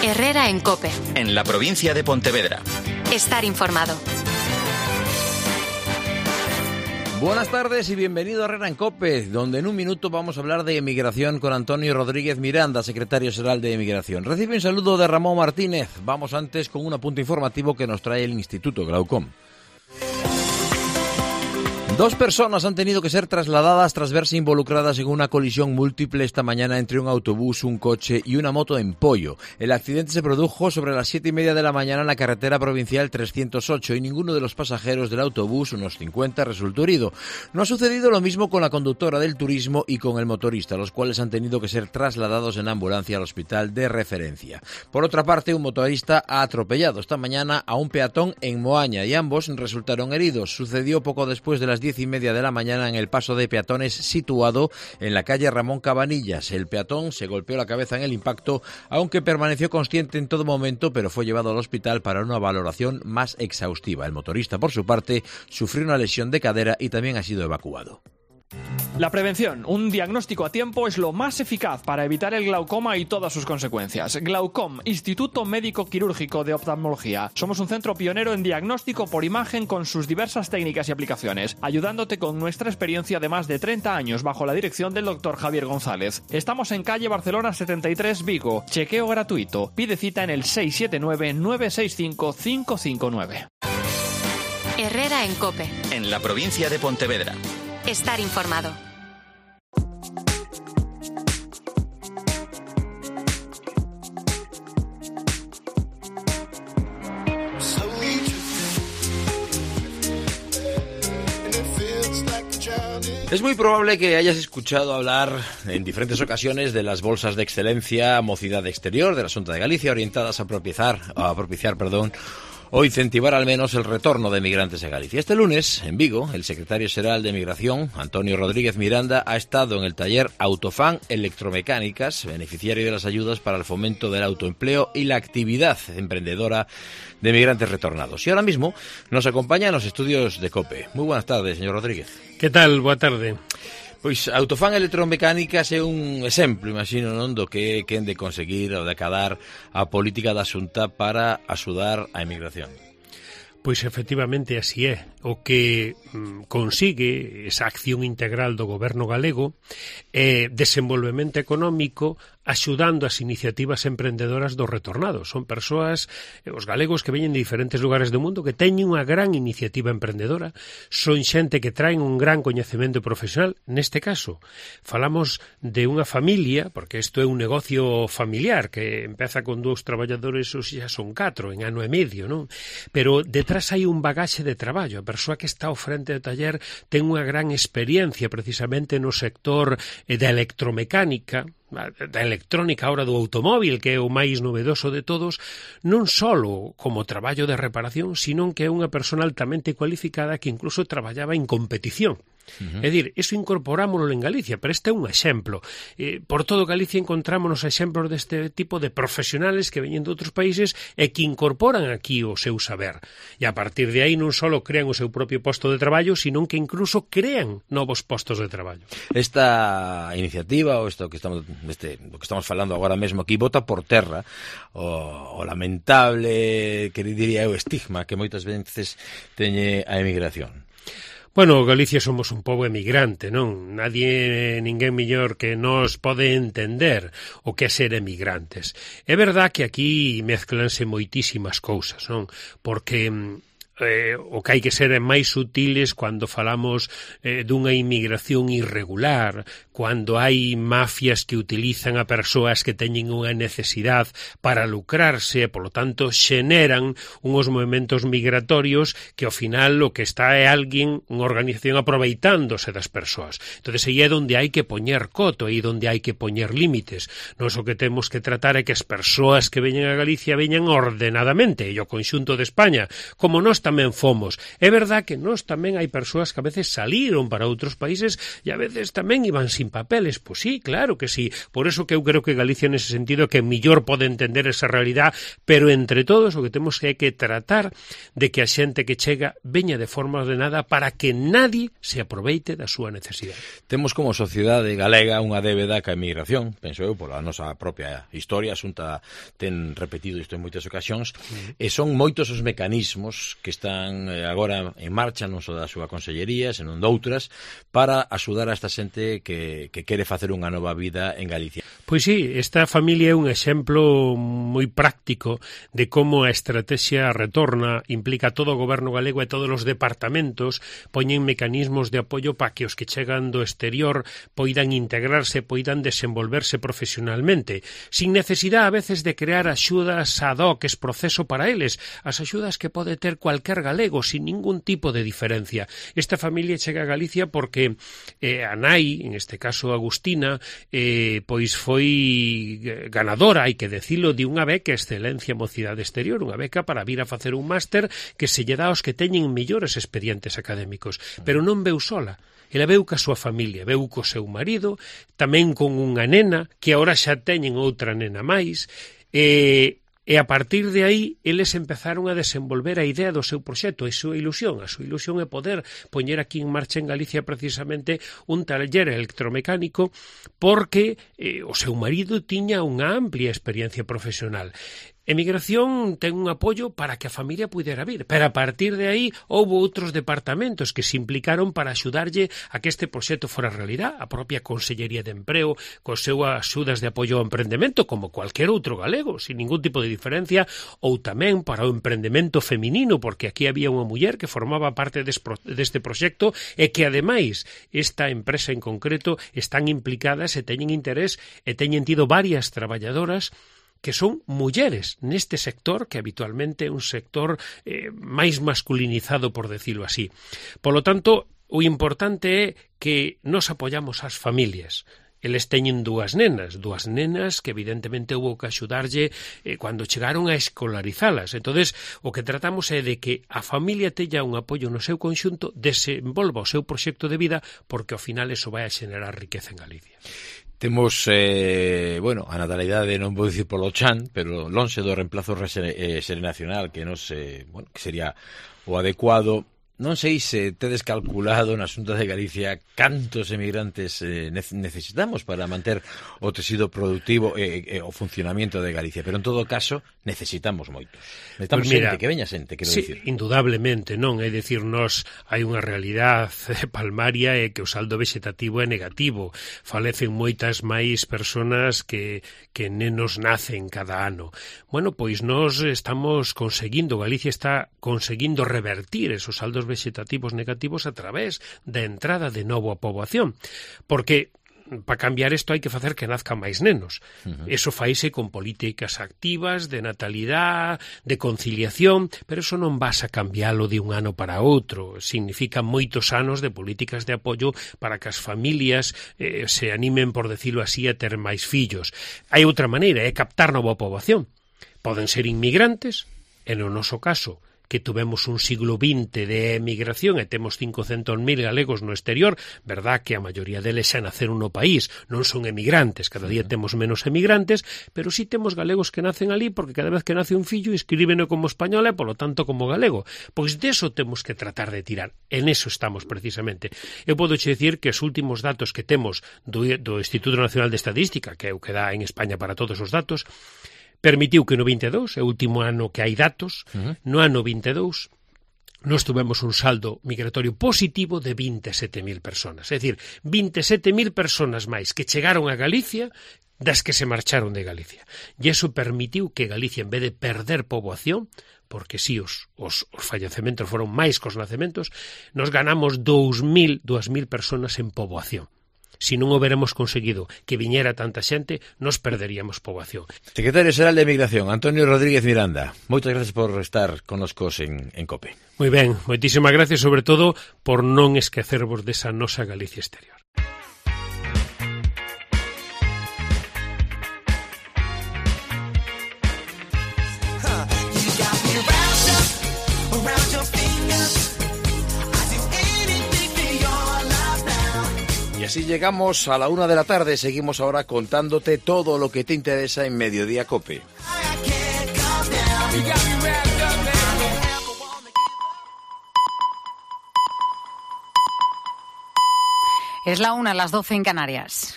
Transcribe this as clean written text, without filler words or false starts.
Herrera en COPE. En la provincia de Pontevedra. Estar informado. Buenas tardes y bienvenido a Herrera en COPE, donde en un minuto vamos a hablar de emigración con Antonio Rodríguez Miranda, secretario general de Emigración. Recibe un saludo de Ramón Martínez. Vamos antes con un apunte informativo que nos trae el Instituto Glaucom. 2 personas han tenido que ser trasladadas tras verse involucradas en una colisión múltiple esta mañana entre un autobús, un coche y una moto en Poio. El accidente se produjo sobre las 7:30 de la mañana en la carretera provincial 308 y ninguno de los pasajeros del autobús, unos 50, resultó herido. No ha sucedido lo mismo con la conductora del turismo y con el motorista, los cuales han tenido que ser trasladados en ambulancia al hospital de referencia. Por otra parte, un motorista ha atropellado esta mañana a un peatón en Moaña y ambos resultaron heridos. Sucedió poco después de las 10:30 de la mañana en el paso de peatones situado en la calle Ramón Cabanillas. El peatón se golpeó la cabeza en el impacto, aunque permaneció consciente en todo momento, pero fue llevado al hospital para una valoración más exhaustiva. El motorista, por su parte, sufrió una lesión de cadera y también ha sido evacuado. La prevención, un diagnóstico a tiempo, es lo más eficaz para evitar el glaucoma y todas sus consecuencias. Glaucom, Instituto Médico Quirúrgico de Oftalmología. Somos un centro pionero en diagnóstico por imagen con sus diversas técnicas y aplicaciones, ayudándote con nuestra experiencia de más de 30 años bajo la dirección del Dr. Javier González. Estamos en calle Barcelona 73, Vigo. Chequeo gratuito. Pide cita en el 679-965-559. Herrera en COPE. En la provincia de Pontevedra. Estar informado. Es muy probable que hayas escuchado hablar en diferentes ocasiones de las bolsas de excelencia Mocidade Exterior de la Xunta de Galicia, orientadas a propiciar o incentivar al menos el retorno de emigrantes a Galicia. Este lunes, en Vigo, el secretario general de Emigración, Antonio Rodríguez Miranda, ha estado en el taller Autofan Electromecánicas, beneficiario de las ayudas para el fomento del autoempleo y la actividad emprendedora de emigrantes retornados. Y ahora mismo nos acompaña en los estudios de COPE. Muy buenas tardes, señor Rodríguez. Que tal? Boa tarde. Pois Autofan Electromecánicas é un exemplo, imagino, non, do que quen de conseguir ou de acadar a política da Xunta para axudar a emigración. Pois efectivamente así é. O que consigue esa acción integral do goberno galego é desenvolvemento económico axudando as iniciativas emprendedoras dos retornados. Son persoas, os galegos que veñen de diferentes lugares do mundo que teñen unha gran iniciativa emprendedora, son xente que traen un gran coñecemento profesional. Neste caso, falamos de unha familia, porque isto é un negocio familiar que empeza con 2 traballadores, ou xa son 4 en ano e medio, non? Pero detrás hai un bagaxe de traballo. A persoa que está ao frente do taller ten unha gran experiencia precisamente no sector da electromecánica, da electrónica, ahora do automóvil, que é o máis novedoso de todos, non só como traballo de reparación, sino que é unha persona altamente cualificada que incluso traballaba en competición. É dicir, iso incorporámoslo en Galicia, pero este é un exemplo. Por todo Galicia encontrámonos exemplos deste tipo de profesionales que veñen de outros países e que incorporan aquí o seu saber. E a partir de aí non só crean o seu propio posto de traballo, sino que incluso crean novos postos de traballo. Esta iniciativa, ou isto que estamos do que estamos falando agora mesmo aquí, bota por terra o lamentable, que diría eu, estigma que moitas veces teñe a emigración. Bueno, Galicia somos un pobo emigrante, non? Ninguén mellor que nos pode entender o que é ser emigrantes. É verdad que aquí mezclanse moitísimas cousas, non? Porque o que hai que ser é máis sutiles cando falamos dunha inmigración irregular, cando hai mafias que utilizan a persoas que teñen unha necesidade para lucrarse e, polo tanto, xeneran uns movimentos migratorios que, ao final, o que está é alguén, unha organización aproveitándose das persoas. Entón, aí é onde hai que poñer coto, aí onde hai que poñer límites. Nos o que temos que tratar é que as persoas que veñen a Galicia veñan ordenadamente, e o conxunto de España, como nós tamén tamén fomos. É verdad que nós tamén hai persoas que a veces saliron para outros países e a veces tamén iban sin papeles. Pois sí, claro que sí. Por eso que eu creo que Galicia nese sentido que mellor pode entender esa realidad, pero entre todos o que temos que tratar de que a xente que chega veña de forma ordenada para que nadie se aproveite da súa necesidade. Temos como sociedade galega unha débeda ca emigración, penso eu, pola nosa propia historia, a Xunta ten repetido isto en moitas ocasións, e son moitos os mecanismos que están agora en marcha, non só da súa consellería, senón doutras, para axudar a esta xente que quere facer unha nova vida en Galicia. Pois sí, esta familia é un exemplo moi práctico de como a estrategia retorna, implica todo o goberno galego e todos os departamentos poñen mecanismos de apoio para que os que chegan do exterior poidan integrarse, poidan desenvolverse profesionalmente, sin necesidade a veces de crear axudas ad hoc, es proceso para eles, as axudas que pode ter cualquier galego, sin ningún tipo de diferencia. Esta familia chega a Galicia porque a nai, en este caso Agustina, pois foi ganadora, hai que decilo, de unha beca Excelencia Mocidade Exterior, unha beca para vir a facer un máster que se lle dá aos que teñen mellores expedientes académicos, pero non veu sola. Ela veu ca súa familia, veu co seu marido, tamén con unha nena, que agora xa teñen outra nena máis, e a partir de aí eles empezaron a desenvolver a idea do seu proxecto, a súa ilusión. A súa ilusión é poder poñer aquí en marcha en Galicia precisamente un taller electromecánico porque o seu marido tiña unha amplia experiencia profesional. Emigración ten un apoio para que a familia pudera vir, pero a partir de aí houve outros departamentos que se implicaron para axudarlle a que este proxecto fora realidad. A propia Consellería de Empreo, cos seus axudas de apoio ao emprendemento, como cualquier outro galego, sin ningún tipo de diferencia, ou tamén para o emprendemento feminino, porque aquí había unha muller que formaba parte deste proxecto e que, ademais, esta empresa en concreto están implicadas e teñen interés e teñen tido varias traballadoras que son mulleres neste sector, que habitualmente é un sector máis masculinizado, por decirlo así. Polo tanto, o importante é que nos apoyamos ás familias. Eles teñen dúas nenas que evidentemente houve que axudarlle cando chegaron a escolarizalas. Entonces, o que tratamos é de que a familia teña un apoio no seu conxunto, desenvolva o seu proxecto de vida, porque ao final eso vai a xenerar riqueza en Galicia. Temos, a natalidade non vou dicir polo chan, pero lonxe do reemplazo xeracional que nos, que sería o adecuado. Non sei se tedes calculado na Xunta de Galicia cantos emigrantes necesitamos para manter o tecido productivo e o funcionamento de Galicia, pero en todo caso necesitamos moitos. Necesitamos xente, que veña xente, quero dicir. Indudablemente, non, é dicir, nos hai unha realidade palmaria e que o saldo vegetativo é negativo. Falecen moitas máis persoas que nenos nacen cada ano. Bueno, pois nós estamos conseguindo, Galicia está conseguindo revertir esos saldos vegetativos negativos a través da entrada de novo a poboación, porque para cambiar isto hai que facer que nazcan máis nenos. Eso faise con políticas activas de natalidade, de conciliación, pero eso non vas a cambiálo de un ano para outro. Significa moitos anos de políticas de apoio para que as familias se animen, por decirlo así, a ter máis fillos. Hai outra maneira, é captar nova poboación. Poden ser inmigrantes, e no noso caso que tuvemos un siglo XX de emigración e temos 500.000 galegos no exterior, verdad que a maioría deles xa naceron no país, non son emigrantes, cada día temos menos emigrantes, pero sí temos galegos que nacen ali porque cada vez que nace un fillo inscríbeno como español e, polo tanto, como galego. Pois deso temos que tratar de tirar. En eso estamos, precisamente. Eu podo che dicir que os últimos datos que temos do Instituto Nacional de Estadística, que é o que dá en España para todos os datos, permitiu que no 22, é o último ano que hai datos, no ano 22, nós tuvemos un saldo migratorio positivo de 27.000 personas. É dicir, 27.000 personas máis que chegaron a Galicia das que se marcharon de Galicia. E iso permitiu que Galicia, en vez de perder poboación, porque si os fallecementos foron máis que os nacementos, nos ganamos 2.000 personas en poboación. Si non houbéramos conseguido que viñera tanta xente, nos perderíamos poboación. Secretario Xeral de Emigración, Antonio Rodríguez Miranda, moitas gracias por estar connoscos en COPE. Moi ben, moitísimas gracias, sobre todo, por non esquecervos desa nosa Galicia exterior. You got me wrapped up around your feet. así llegamos a la 1 de la tarde. Seguimos ahora contándote todo lo que te interesa en Mediodía COPE. Es la 1, las 12 en Canarias.